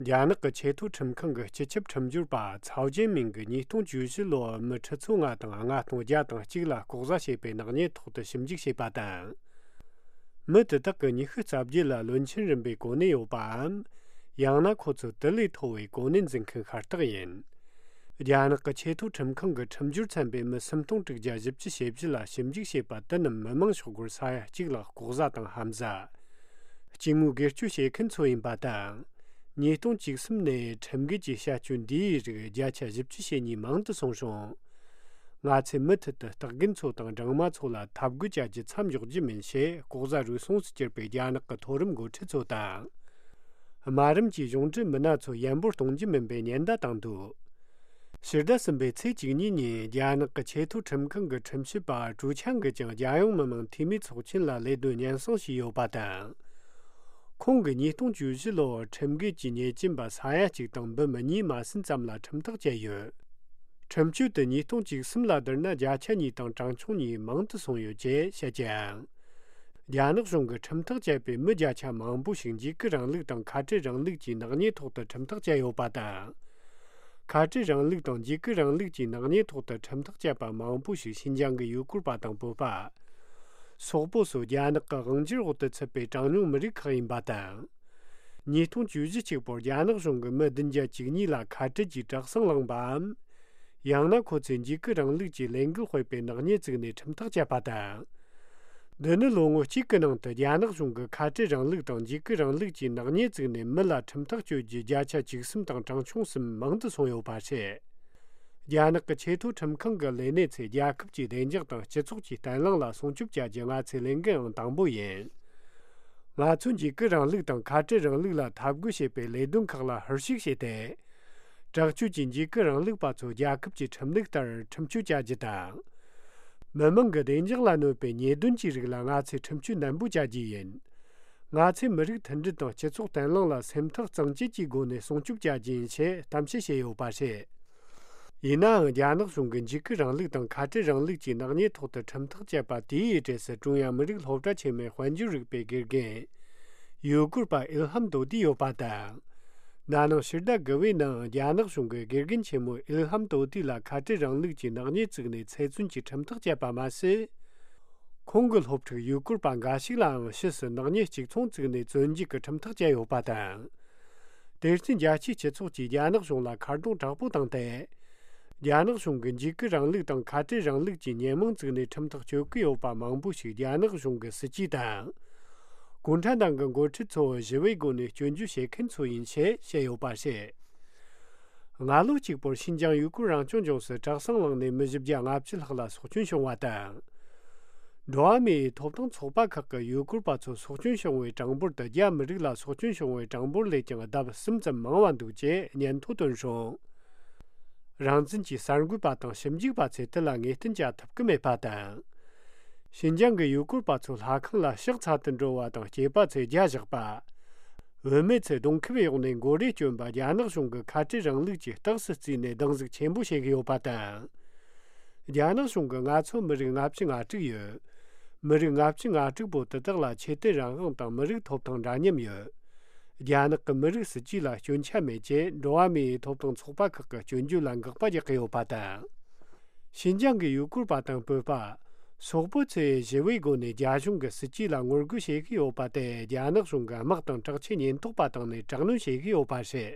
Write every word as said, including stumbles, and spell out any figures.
རྒྱ་ནག་གི་ཆེས་མཐོའི་ཁྲིམས་ཁང་གི་སྤྱི་ཁྱབ་ཁྲིམས་སྦྱོར་པ་ཚའོ་ཅན་མིང་གིས་ཉིས་སྟོང་བཅུ་བཞི་ལོར་མི་ཁྲི་ཚོ་ལྔ་དང་ལྔ་སྟོང་བརྒྱ་དང་གཅིག་ལ་ལྐོག་ཟ་བྱས་པའི་ནག་ཉེས་ཐོག་ཏུ་ཞིབ་འཇུག་བྱས་པ་དང་། མི་དེ་དག་གི་ཉི་ཤུ་རྩ་བརྒྱད་ལ་བློན་ཆེན་རིམ་པའི་གོ་གནས་ཡོད་པའམ། ཡང་ན་ཁོ་ཚོ་དེ་ལས་མཐོ་བའི་གོ་གནས་འཛིན་མཁན་ཤ་སྟག་ཡིན། རྒྱ་ནག་གི་ཆེས་མཐོའི་ཁྲིམས་ཁང་གི་ཁྲིམས་སྦྱོར་ཚན་པས་མི་སུམ་སྟོང་དྲུག་བརྒྱ་བཞི་བཅུ་ཞེ་བཞི་ལ་ཞིབ་འཇུག་བྱས་པ་དེ་རྣམས་མི་མང་ཤོག་སྒོར་ས་ཡ་གཅིག་ལ་ལྐོག་ཟ་དང་ཧམ་ཟ། སྐྱེ་དངོས་སྒེར་གཅོད་བྱེད་མཁན་ཚོ་ཡིན་པ་དང་། ཉིས་སྟོང་བཅུ་གསུམ་ནས་ཁྲིམས་འགལ་གྱི་བྱ་སྤྱོད་འདིའི་རིགས་བརྒྱ་ཆ་བཞི་བཅུ་ཞེ་གཉིས་མང་དུ་སོང་རུང་། ང་ཚོས་མུ་མཐུད་དུ་སྟག་རྒན་ཚོ་དང་སྦྲང་མ་ཚོ་ལ་འཐབ་རྒོལ་བྱ་རྒྱུ་མཚམས་འཇོག་རྒྱུ་མིན་ཞེས་ལྐོག་ཟ་རུལ་སུངས་སུ་གྱུར་པའི་རྒྱ་ནག་གི་མཐོ་རིམ་འགོ་ཁྲིད་ཚོ་དང་། དམའ་རིམ་གྱི་གཞུང་འབྲེལ་མི་སྣ་ཚོ་ཡན་པོར་གཏོང་རྒྱུ་མིན་པའི་ཉེན་བརྡ་བཏང་འདུག་ཕྱི་ཟླ་གསུམ་པའི་ཚེས་བཅུ་གཉིས་ཉིན་རྒྱ་ནག་གི་ཆེས་མཐོའི་ཁྲིམས་ཁང་གི་ཁྲིམས་ཞིབ་པ་ཀྲུའུ་ཆན་གྱིས་ཀྱང་རྒྱལ་ཡོངས་མི་དམངས་འཐུས་མིའི་ཚོགས་ཆེན་ལ་ལས་དོན་སྙན་སེང་ཞུས་ཡོད་པ་དང་། ཁོང་གིས་ཉིས་སྟོང་བཅུ་བཞི་ལོར་ཁྲིམས་འགལ་གྱི་ཉེས་ཅན་པ་ས་ཡ་གཅིག་དང་འབུམ་གཉིས་མ་ཟིན་ཙམ་ལ་ཁྲིམས་ཐག་བཅད་ཡོད། ཁྲིམས་གཅོད་དེ་ཉིས་སྟོང་བཅུ་གསུམ་ལ་བསྡུར་ན་བརྒྱ་ཆ་གཉིས་དང་གྲངས་ཆུང་གཉིས་མང་དུ་སོང་ཡོད་ཅེས་བཤད་ཀྱང་། རྒྱ་ནག་གཞུང་གིས་ཁྲིམས་ཐག་བཅད་པའི་མི་བརྒྱ་ཆ་མང་པོ་ཞིག་འཇིགས་སྐུལ་རིང་ལུགས་དང་ཁ་བྲལ་རིང་ལུགས་ཀྱི་ནག་ཉེས་ཐོག་ཏུ་ཁྲིམས་ཐག་བཅད་ཡོད་པ་དང་། ཁ་བྲལ་རིང་ལུགས་དང་འཇིགས་སྐུལ་རིང་ལུགས་ཀྱི་ནག་ཉེས་ཐོག་ཏུ་ཁྲིམས་ཐག་བཅད་པ་མང་པོ་ཞིག་ཤིན་ཅང་གི་ཡུ་གུར་པ་དང་བོད་པ། སོག་པོ་སོགས་རྒྱ་ནག་གི་དབང་སྒྱུར་འོག་ཏུ་ཚུད་པའི་གྲངས་ཉུང་མི་རིགས་ཁག་ཡིན་པ་དང་། ཉིས་སྟོང་བཅུ་བཞི་གཅིག་པོར་རྒྱ་ནག་གཞུང་གིས་མི་བདུན་བརྒྱ་བཅུ་གཉིས་ལ་ཁ་བྲལ་གྱི་གྲྭ་སྲང་བླངས་པའམ། ཡང་ན་ཁོ་ཚོས་འཇིགས་སྐུལ་རིང་ལུགས་ཀྱི་ལས་འགུལ་སྤེལ་བའི་ནག་ཉེས་བཙུགས་ནས་ཁྲིམས་ཐག་བཅད་པ་དང་། འདི་ནི་ལོ་ངོ་གཅིག་གི་ནང་དུ་རྒྱ་ནག་གཞུང་གིས་ཁ་བྲལ་རིང་ལུགས་དང་འཇིགས་སྐུལ་རིང་ལུགས་ཀྱི་ནག་ཉེས་བཙུགས་ནས་མི་ལ་ཁྲིམས་ཐག་གཅོད་རྒྱུ་བརྒྱ་ཆ་བཅུ་གསུམ་དང་གྲངས་ཆུང་གསུམ་མང་དུ་སོང་ཡོད་པ་རེད། རྒྱ་ནག་གི་ཆེས་མཐོའི་ཁྲིམས་ཁང་གི་ལས་སྣེ་ཚོས་རྒྱལ་ཁབ་ཀྱི་བདེ་འཇགས་དང་སྤྱི་ཚོགས་ཀྱི་བརྟན་ལྷིང་ལ་སྲུང་སྐྱོབ་བྱ་རྒྱུ་ང་ཚོའི་ལས་འགན་ཨང་དང་པོ་ཡིན། ང་ཚོས་འཇིགས་སྐུལ་རིང་ལུགས་དང་ཁ་བྲལ་རིང་ལུགས་ལ་འཐབ་རྒོལ་བྱེད་པའི་ལས་དོན་ཁག་ལ་ཧུར་བཞུགས་བྱས་ཏེ། དྲག་སྤྱོད་ཀྱི་འཇིགས་སྐུལ་རིང་ལུགས་པ་ཚོ་རྒྱལ་ཁབ་ཀྱི་ཁྲིམས་ལུགས་ལྟར་ཁྲིམས་གཅོད་བྱ་རྒྱུ་དང་། མི་དམངས་ཀྱི་བདེ་འཇགས་ལ་གནོད་པའི་ཉེས་དོན་གྱི་རིགས་ལ་ང་ཚོས་ཁྲིམས་གཅོད་ནན་པོ་བྱ་རྒྱུ་ཡིན། ང་ཚོས་མི་རིགས་མཐུན་སྒྲིལ་དང་སྤྱི་ཚོགས་བརྟན་ལྷིང་ལ་སེམས་ཐག་གཙང་བཅད་ཀྱི་སྒོ་ནས་སྲུང་སྐྱོབ་བྱ་རྒྱུ་ཡིན་ཞེས་གཏམ་བཤད་བྱས་ཡོད་པ་རེད། ཡིན་ནའང་རྒྱ་ནག་གཞུང་གིས་འཇིགས་སྐུལ་རིང་ལུགས་དང་ཁ་བྲལ་རིང་ལུགས་ཀྱི་ནག་ཉེས་ཐོག་ཏུ་ཁྲིམས་ཐག་བཅད་པ་དེའི་གྲས་སུ་ཀྲུང་དབྱང་མི་རིགས་སློབ་གྲྭ་ཆེན་མོའི་དཔལ་འབྱོར་རིག་པའི་དགེ་རྒན། ཡུ་གུར་པ་ཨིལ་ཧམ་དོ་དི་ཡོད་པ་དང་། ན་ནིང་ཕྱི་ཟླ་དགུ་པའི་ནང་རྒྱ་ནག་གཞུང་གིས་དགེ་རྒན་ཆེན་མོ་ཨིལ་ཧམ་དོ་དི་ལ་ཁ་བྲལ་རིང་ལུགས་ཀྱི་ནག་ཉེས་བཙུགས་ནས་ཚེ་བཙོན་གྱི་ཁྲིམས་ཐག་བཅད་པ་མ་ཟད། ཁོང་གི་སློབ་ཕྲུག་ཡུ་གུར་པ་འགའ་ཞིག་ལའང་ཕྱིས་སུ་ནག་ཉེས་གཅིག་མཚུངས་བཙུགས་ནས་བཙོན་འཇུག་གི་ཁྲིམས་ཐག་བཅད་ཡོད་པ་དང་། དེར་བརྟེན་རྒྱལ་སྤྱིའི་སྤྱི་ཚོགས་ཀྱིས་རྒྱ་ནག་གཞུང་ལ་ཁ་རྡུང་དྲག་པོ་བཏང་སྟེ། རྒྱ་ནག་གཞུང་གིས་འཇིགས་སྐུལ་རིང་ལུགས་དང་ཁ་བྲལ་རིང་ལུགས་ཀྱི་ཉེས་མིང་བཙུགས་ནས་ཁྲིམས་ཐག་གཅོད་ཀྱི་ཡོད་པ་མང་པོ་ཞིག་རྒྱ་ནག་གཞུང་གི་སྲིད་ཇུས་དང་། གུང་ཁྲན་ཏང་གི་འགོ་ཁྲིད་ཚོ་ཞི་བའི་སྒོ་ནས་སྐྱོན་བརྗོད་བྱེད་མཁན་ཚོ་ཡིན་ཞེས་བཤད་ཡོད་པ་རེད། སྔ་ལོ་གཅིག་པོར་ཤིན་ཅང་ཡུ་གུར་རང་སྐྱོང་ལྗོངས་སུ་གྲྭ་སྲང་བླངས་ནས་མི་བཞི་བརྒྱ་ལྔ་བཅུ་ལྷག་ལ་སྲོག་སྐྱོན་བྱུང་བ་དང་། འགྲོ་བ་མིའི་ཐོབ་ཐང་ཚོགས་པ་ཁག་གིས་ཡུ་གུར་པ་ཚོ་སྲོག་སྐྱོན་བྱུང་བའི་གྲངས་འབོར་དེ་རྒྱ་མི་རིགས་ལ་སྲོག་སྐྱོན་བྱུང་བའི་གྲངས་འབོར་ལས་ཀྱང་ལྡབ་གསུམ་ཙམ་མང་བ་འདུག་ཅེས་སྙན་ཐོ་བཏོན་སོང་། རང་བཙན་གྱི་གསར་འགོད་པ་དང་ཞིབ་འཇུག་པ་ཚོས་དེ་ལ་ངེས་གཏན་བྱ་ཐུབ་ཀྱི་མེད་པ་དང་། ཤིན་ཅང་གི་ཡུ་གུར་པ་ཚོ་ལྷ་ཁང་ལ་ཕྱག་འཚལ་དུ་འགྲོ་བ་དང་སྐྱེས་པ་ཚོས་རྒྱ་བཞག་པ། བུད་མེད་ཚོས་གདོང་ཁེབས་གཡོགས་ནས་མགོ་རས་གྱོན་པ་རྒྱ་ནག་གཞུང་གིས་ཁ་བྲལ་རིང་ལུགས་ཀྱི་རྟགས་སུ་བརྩིས་ནས་སྡང་ཟུག་ཆེན་པོ་བྱེད་ཀྱི་ཡོད་པ་དང་། རྒྱ་ནག་གཞུང་གིས་ང་ཚོ་མི་རིགས་ལྔ་བཅུ་ང་དྲུག་ཡོད། མི་རིགས་ལྔ་བཅུ་ང་དྲུག་པོ་དེ་དག་ལ་ཆོས་དད་རང་དབང་དང་མི་རིགས་ཐོབ་ཐང་འདྲ་མཉམ་ཡོད། རྒྱ་ནག་གི་མི་རིགས་སྲིད་ཇུས་ལ་སྐྱོན་ཆ་མེད་ཅེས་འགྲོ་བ་མིའི་ཐོབ་ཐང་ཚོགས་པ་ཁག་གི་སྐྱོན་བརྗོད་ལ་འགག་པ་རྒྱག་གི་ཡོད་པ་དང་། ཤིན་ཅང་གི་ཡུ་གུར་པ་དང་བོད་པ། སོག་པོ་ཚོས་ཞི་བའི་སྒོ་ནས་རྒྱ་གཞུང་གི་སྲིད་ཇུས་ལ་ངོ་རྒོལ་བྱེད་ཀྱི་ཡོད་པ་དེ་རྒྱ་ནག་གཞུང་གིས་དམག་དང་དྲག་ཆས་ཉེན་རྟོག་པ་བཏང་ནས་དྲག་གནོན་བྱེད་ཀྱི་ཡོད་པ་རེད།